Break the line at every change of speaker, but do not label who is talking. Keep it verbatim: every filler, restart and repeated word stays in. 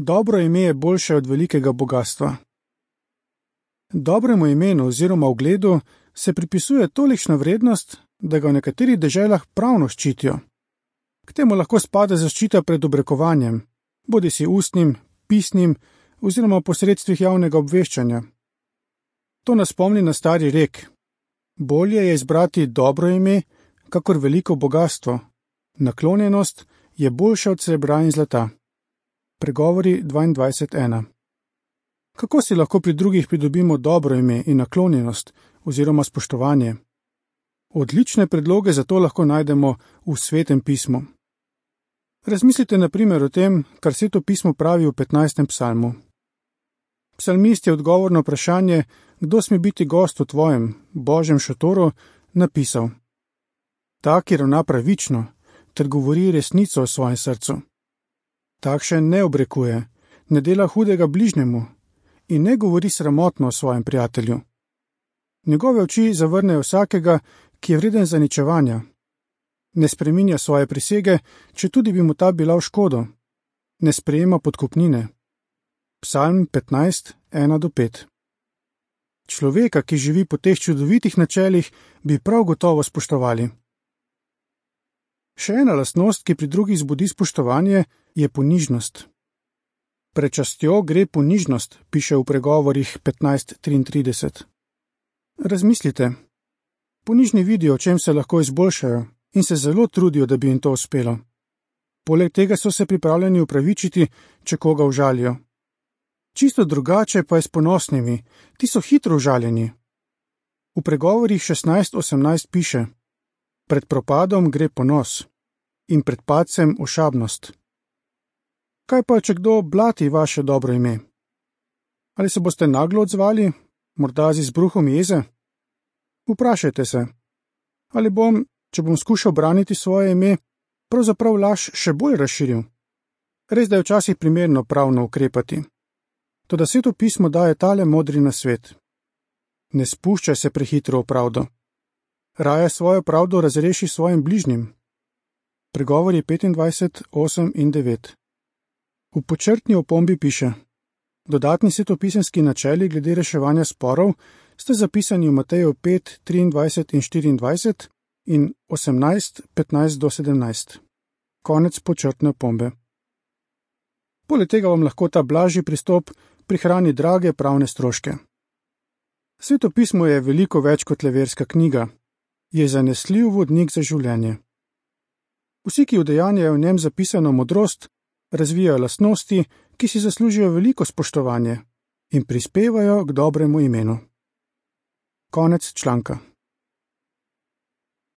Dobro ime je boljše od velikega bogatstva. Dobremu imenu oziroma ugledu se pripisuje tolikšna vrednost, da ga v nekaterih deželah pravno ščitijo. K temu lahko spada zaščita pred obrekovanjem, bodisi ustnim, pisnim oziroma posredstvih javnega obveščanja. To nas spomni na stari rek: bolje je izbrati dobro ime, kakor veliko bogastvo. Naklonjenost je boljša od srebra in zlata. Pregovori dvaindvajset ena. Kako si lahko pri drugih pridobimo dobro ime in naklonjenost oziroma spoštovanje? Odlične predloge za to lahko najdemo v Svetem pismu. Razmislite na primer o tem, kar Sveto pismo pravi v petnajstem psalmu. Psalmist je odgovor na vprašanje, kdo sme biti gost v tvojem, Božjem šotoru, napisal: tak, ki ravna pravično, ter govori resnico o svojem srcu. Takšen ne obrekuje, ne dela hudega bližnjemu in ne govori sramotno o svojem prijatelju. Njegove oči zavrnejo vsakega, ki je vreden zaničevanja. Ne spreminja svoje prisege, če tudi bi mu ta bila v škodo. Ne sprejema podkupnine. Psalm petnajst, ena do pet. Človeka, ki živi po teh čudovitih načelih, bi prav gotovo spoštovali. Še ena lastnost, ki pri drugih zbudi spoštovanje, je ponižnost. Pred častjo gre ponižnost, piše v pregovorih petnajst triintrideset. Razmislite. Ponižni vidijo, o čem se lahko izboljšajo in se zelo trudijo, da bi jim to uspelo. Poleg tega so se pripravljeni upravičiti, če koga užalijo. Čisto drugače pa je s ponosnimi, ti so hitro užaljeni. V pregovorih šestnajst osemnajst piše: pred propadom gre ponos in pred padcem ošabnost. Kaj pa, če kdo blati vaše dobro ime? Ali se boste naglo odzvali, morda z izbruhom jeze? Vprašajte se, ali bom, če bom skušal braniti svoje ime, pravzaprav laž še bolj razširil. Res, da je včasih primerno pravno ukrepati. Toda Sveto pismo daje tale modri nasvet: ne spuščaj se prehitro v pravdo. Raje svojo pravdo razreši svojim bližnjim. Pregovori petindvajset, osem in devet. V počrtni opombi piše: dodatni svetopisemski načeli glede reševanja sporov sta zapisani v Mateju pet, triindvajset in štiriindvajset in osemnajst, petnajst do sedemnajst. Konec počrtne opombe. Poleg tega vam lahko ta blažji pristop prihrani drage pravne stroške. Sveto pismo je veliko več kot le verska knjiga. Je zanesljiv vodnik za življenje. Vsi, ki udejanjajo v njem zapisano modrost, razvijajo lastnosti, ki si zaslužijo veliko spoštovanje in prispevajo k dobremu imenu. Konec članka.